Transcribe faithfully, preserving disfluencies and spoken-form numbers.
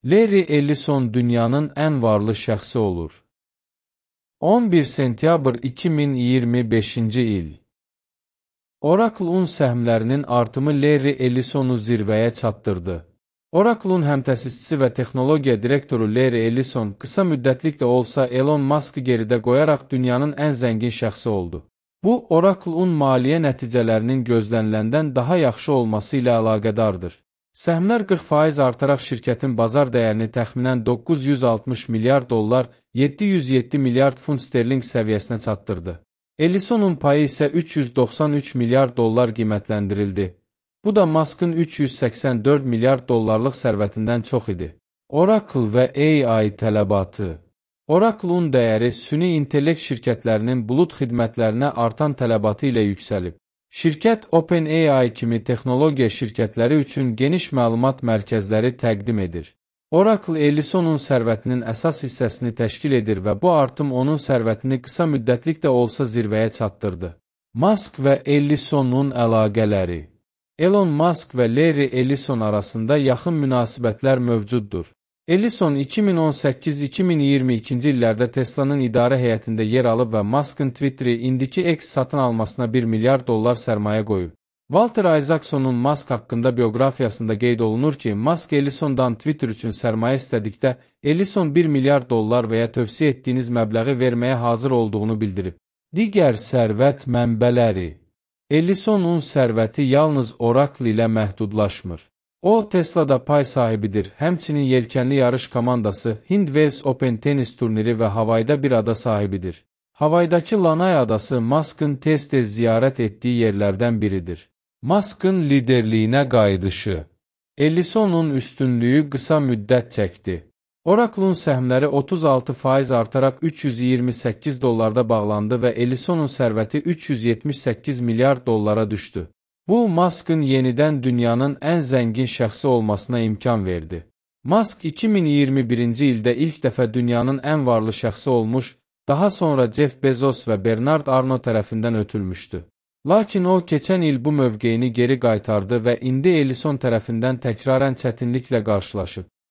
Larry Ellison dünyanın ən varlı şəxsi olur. on bir sentyabr iki min iyirmi beşinci il. Oracle-un səhmlərinin artımı Larry Ellisonu zirvəyə çatdırdı. Oracle-un həmtəsisçisi və texnologiya direktoru Larry Ellison qısa müddətlik də olsa Elon Musk'ı geridə qoyaraq dünyanın ən zəngin şəxsi oldu. Bu, Oracle-un maliyyə nəticələrinin gözləniləndən daha yaxşı olması ilə əlaqədardır. Səhmlər qırx faiz artaraq şirkətin bazar dəyərini təxminən doqquz yüz altmış milyard dollar, yeddi yüz yeddi milyard funt sterling səviyyəsinə çatdırdı. Ellisonun payı isə üç yüz doxsan üç milyard dollar qiymətləndirildi. Bu da Musk'ın üç yüz səksən dörd milyard dollarlıq sərvətindən çox idi. Oracle və A I tələbatı. Oracle-un dəyəri süni intellekt şirkətlərinin bulud xidmətlərinə artan tələbatı ilə yüksəlib. Şirkət OpenAI kimi texnologiya şirkətləri üçün geniş məlumat mərkəzləri təqdim edir. Oracle Ellisonun sərvətinin əsas hissəsini təşkil edir və bu artım onun sərvətini qısa müddətlik də olsa zirvəyə çatdırdı. Musk və Ellisonun əlaqələri. Elon Musk və Larry Ellison arasında yaxın münasibətlər mövcuddur. Ellison iki min on səkkiz iki min iyirmi ikinci illərdə Tesla'nın idarə heyətində yer alıb və Musk'ın Twitter'i indiki X satın almasına bir milyard dollar sərmayə qoyub. Walter Isaacsonun Musk haqqında bioqrafiyasında qeyd olunur ki, Musk Ellisondan Twitter üçün sərmayə istədikdə, Ellison bir milyard dollar və ya tövsiyə etdiyiniz məbləği verməyə hazır olduğunu bildirib. Digər sərvət mənbələri. Ellisonun sərvəti yalnız Oracle ilə məhdudlaşmır. O, Tesla'da pay sahibidir, həmçinin yelkənli yarış komandası, Hind Wells Open tenis turniri və Havayda bir ada sahibidir. Havaydakı Lanay adası Musk'ın tez-tez ziyarət etdiyi yerlərdən biridir. Musk'ın liderliyinə qayıdışı. Ellisonun üstünlüyü qısa müddət çəkdi. Oracle-un səhmləri otuz altı faiz artaraq üç yüz iyirmi səkkiz dollarda bağlandı və Ellisonun sərvəti üç yüz yetmiş səkkiz milyard dollara düşdü. Bu, Musk'ın yenidən dünyanın ən zəngin şəxsi olmasına imkan verdi. Musk iki min iyirmi birinci ildə ilk dəfə dünyanın ən varlı şəxsi olmuş, daha sonra Jeff Bezos və Bernard Arnault tərəfindən ötülmüşdü. Lakin o, keçən il bu mövqeyini geri qaytardı və indi Ellison tərəfindən təkrarən çətinliklə qarşılaşıb.